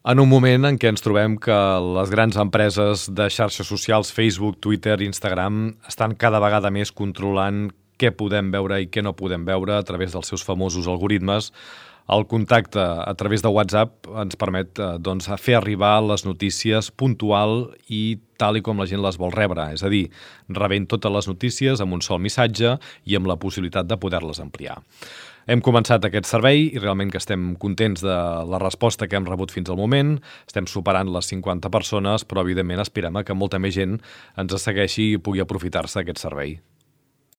En un moment en què ens trobem que les grans empreses de xarxes socials, Facebook, Twitter, Instagram, estan cada vegada més controlant què podem veure i què no podem veure a través dels seus famosos algoritmes, el contacte a través de WhatsApp ens permet fer arribar les notícies puntual i tal i com la gent les vol rebre, és a dir, rebent totes les notícies amb un sol missatge i amb la possibilitat de poder-les ampliar. Hem començat aquest servei i realment que estem contents de la resposta que hem rebut fins al moment. Estem superant les 50 persones, però evidentment aspirem a que molta més gent ens segueixi i pugui aprofitar-se d'aquest servei.